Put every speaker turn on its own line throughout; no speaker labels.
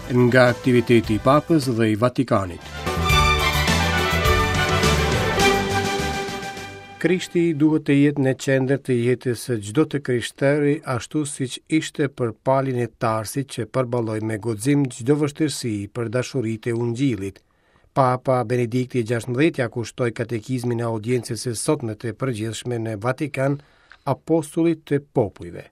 Nga aktiviteti i Papës dhe i Vatikanit. Krishti duhet të jetë në qendër të jetës së çdo të krishteri, ashtu siç ishte për Palin e Tarsit që përballoi me guxim çdo vështirësi për dashuri të Ungjillit. Papa Benedikti XVI ia kushtoi katekizmin e audiencës së sotme të përgjithshme në Vatikan apostullit të popujve.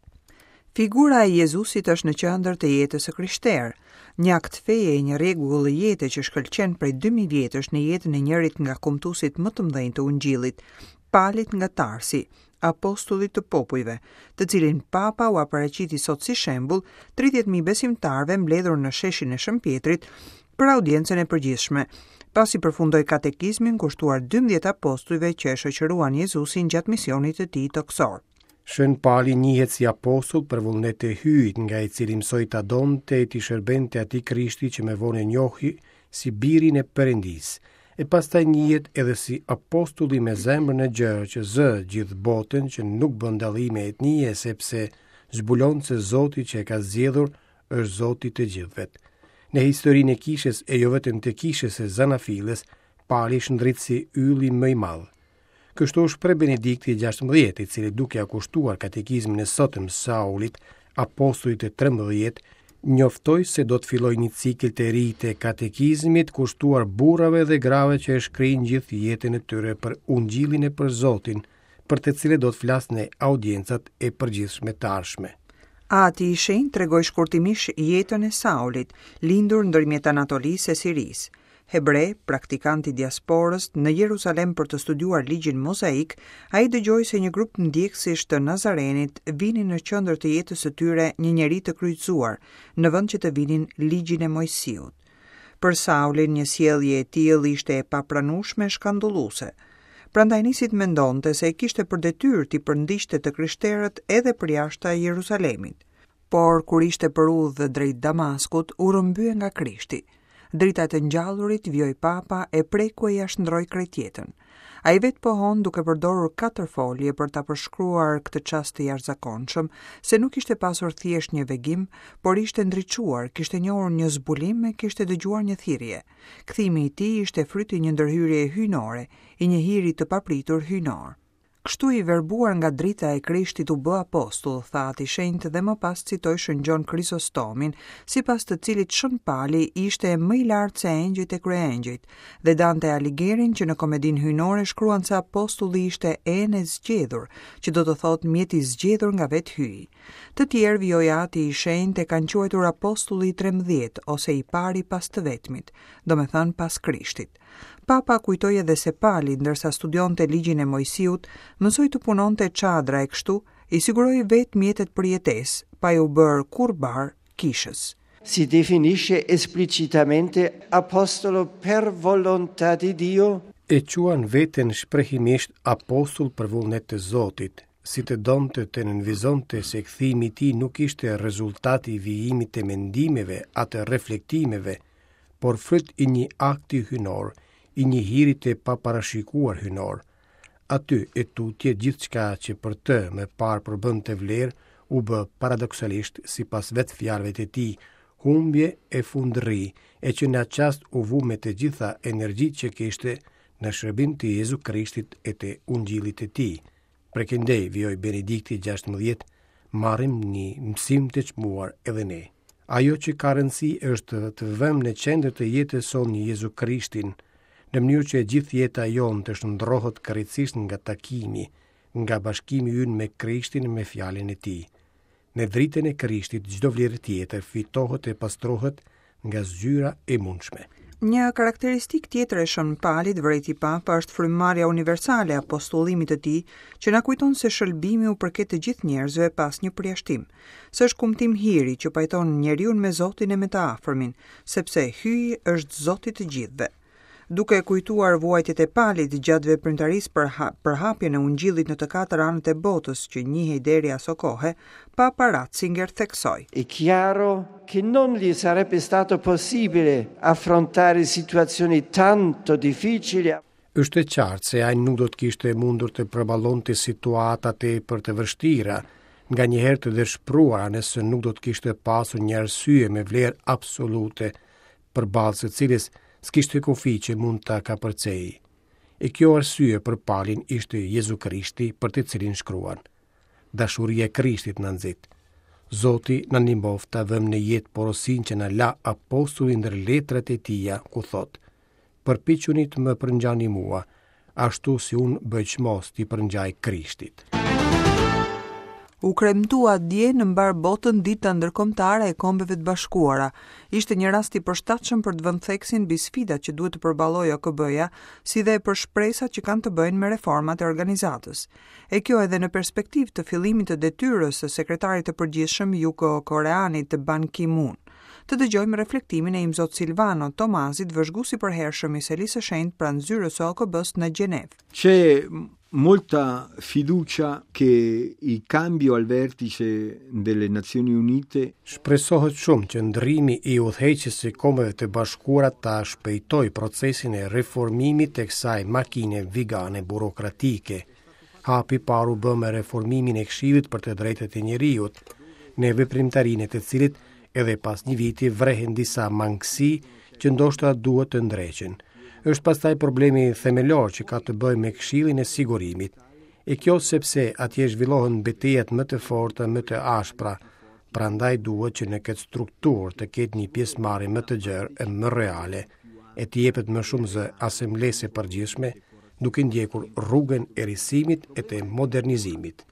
Figura e Jezusit është në qendër të jetës së krishterë, një akt feje e një rregull jete që shkëlqen prej 2000 vjetësh në jetën e njërit nga kumtuesit më të mëdhenj të Ungjillit, Palit nga Tarsi, apostullit të popujve, të cilin Papa ua paraqiti sot si shembull 30.000 besimtarëve mbledhur në sheshin e Shën Pjetrit për audiencën e përgjithshme, pasi përfundoi katekizmin kushtuar 12 apostujve që e shoqëruan Jezusin gjatë misionit të tij tokësor.
Shën Pali njihet si apostull për vullnet të Hyjit, nga i cili mësoi ta donte e t'i shërbente atij Krishti që më vonë e njohi si birin e Perëndisë, e pastaj njihet edhe si apostulli me zemrën e gjerë që zë gjithë botën që nuk bën dallime etnie sepse zbulon se Zoti që e ka zgjedhur është Zoti i të gjithëve. Në historinë e kishës e jo vetëm të kishës së Zanafillës, Pali shndrit si ylli më i madh. Kështu u shpreh Benedikti XVI, i cili duke ia kushtuar katekizmin e sotëm Saulit, apostullit të 13, njoftoi se do të fillojë një cikël të ri të katekizmit kushtuar burrave dhe grave që e shkrijnë gjithë jetën e tyre për Ungjillin e për Zotin, për të cilët do të flasë në audiencat e përgjithshme të ardhshme.
Ati i Shenjtë tregoi shkurtimisht jetën e Saulit, lindur ndërmjet Anatolisë e Sirisë. Hebre, praktikant i diasporës, në Jeruzalem për të studiuar ligjin mozaik, ai dëgjoi se një grup ndjekësish të Nazarenit vinin në qendër të jetës së tyre një njeri të kryqëzuar, në vend që të vinin ligjin e Moisiut. Për Saulin një sjellje e tillë ishte e papranueshme e shkandulluese. Prandaj nisi të mendonte se e kishte për detyrë t'i përndiqte të krishterët edhe përjashta Jeruzalemit. Por kur ishte për udhë drejt Damaskut, u rrëmbye nga Krishti. Drita e të ngjallurit, vijoi Papa, e preku e ia shndërroi krejt jetën. Ai vetë pohon duke përdorur katër folje për ta përshkruar këtë çast të jashtëzakonshëm, se nuk kishte pasur thjesht një vegim, por ishte ndriçuar, kishte njohur një zbulim e kishte dëgjuar një thirrje. Kthimi i tij ishte fryt i një ndërhyrjeje hyjnore, i një hiri të papritur hyjnor. Kështu i verbuar nga drita e Krishtit u bë apostull, tha Ati i Shenjtë dhe më pas citoi Shën Gjon Krizostomin, sipas të cilit Shën Pali ishte më i lartë se engjëjt e kryengjëjt, dhe Dante Aligherin që në Komedinë Hyjnore shkruan se apostulli ishte enë e zgjedhur, që do të thotë mjet i zgjedhur nga vetë Hyji. Të tjerë, vijoi Ati i Shenjtë, e kanë quajtur apostulli i 13 ose i pari pas të vetmit, domethënë pas Krishtit. Papa kujtoi edhe se Pali, ndërsa studionte ligjin e Moisiut, mësoi të punonte çadra e kështu i siguroi vetë mjetet për jetesë, pa iu bërë kurrë barrë kishës.
Si definisce esplicitamente apostolo per volontà di Dio.
E quan veten shprehimisht apostull për vullnet të Zotit, si të donte të nënvizonte se kthimi i tij nuk ishte rezultat i vijimit të mendimeve a të reflektimeve, por fryt i një akti hyjnor, i një hiri të paparashikuar hyjnor. Aty e tutje gjithçka që për të më parë përbënte vlerë, u bë paradoksalisht, sipas vetë fjalëve të tij, humbje e fundërri, e që në atë çast u vu me të gjitha energjitë që kishte në shërbim të Jezu Krishtit e të Ungjillit të tij. Prej këndej, vijoi Benedikti 16, marrim një mësim të çmuar edhe ne. Ajo që ka rëndësi është të vëmë në qendër të jetës sonë Jezu Krishtin, në mënyrë që e gjithë jeta jonë të shndërrohet krejtësisht nga takimi, nga bashkimi ynë me Krishtin me fjalën e tij. Në dritën e Krishtit çdo vlerë tjetër fitohet e pastrohet nga zgjyra e
mundshme. Një karakteristikë tjetër e Shën Palit, vërejti Papa, është frymëmarrja universale e apostullimit të tij, që na kujton se shëlbimi u përket të gjithë njerëzve pa asnjë përjashtim, se është kumtim hiri që pajton njeriun me Zotin e me të afërmin, sepse Hyji është Zot i të gjithëve. Duke kujtuar vuajtjet e Palit gjatë veprimtarisë për përhapjen e Ungjillit në të katër anët e botës që njihej deri aso kohe, Papa Ratzinger theksoi.
È chiaro che non gli sarebbe stato possibile affrontare situazioni tanto difficili.
Është e qartë se ai nuk do të kishte mundur të përballonte situata tepër të vështira. nganjëherë të dëshpëruara nëse nuk do të kishte pasur një arsye me vlerë absolute, përballë së cilës s'kishte kufi që mund ta kapërcejë. E kjo arsye për Palin ishte Jezu Krishti për të cilin shkruan. Dashuria e Krishtit na nxit. Zoti na ndihmoftë ta vëmë në jetë porosinë që na la apostulli ndër letrat e tija, ku thotë: Përpiquni të më përngjani mua, ashtu si unë bëj çmos t'i përngjaj Krishtit.
U kremtua dje në mbarë botën Dita Ndërkombëtare e Kombeve të Bashkuara. Ishte një rast i përshtatshëm për të vënë theksin mbi sfidat që duhet të përballojë OKB-ja, si dhe për shpresat që kanë të bëjnë me reformat e organizatës. E kjo edhe në perspektivë të fillimit të detyrës së sekretarit të përgjithshëm jugkoreanit Ban Ki-moon. Të dëgjojmë reflektimin e Imzot Silvano Tomazit, vëzhgues i përhershëm i Selisë së Shenjtë pranë zyrës së OKB-së në Gjenevë.
C'è molta fiducia che il cambio al vertice delle Nazioni Unite
Shpresohet shumë që ndërrimi i udhëheqjes së Kombeve të Bashkuara ta shpejtojë procesin e reformimit të kësaj makine vigane burokratike. Hapi i parë u bë me reformimin e Këshillit për të Drejtat e Njeriut, në veprimtarinë e të cilit edhe pas një viti vrehen disa mangësi që ndoshta duhet të ndreqen. Është pastaj problemi themelor që ka të bëjë me Këshillin e Sigurimit. E kjo sepse atje zhvillohen betejat më të forta, më të ashpra, prandaj duhet që në këtë strukturë të ketë një pjesëmarrje më të gjerë e më reale, e t'i jepet më shumë zë Asamblesë së Përgjithshme, duke ndjekur rrugën e risimit e të modernizimit.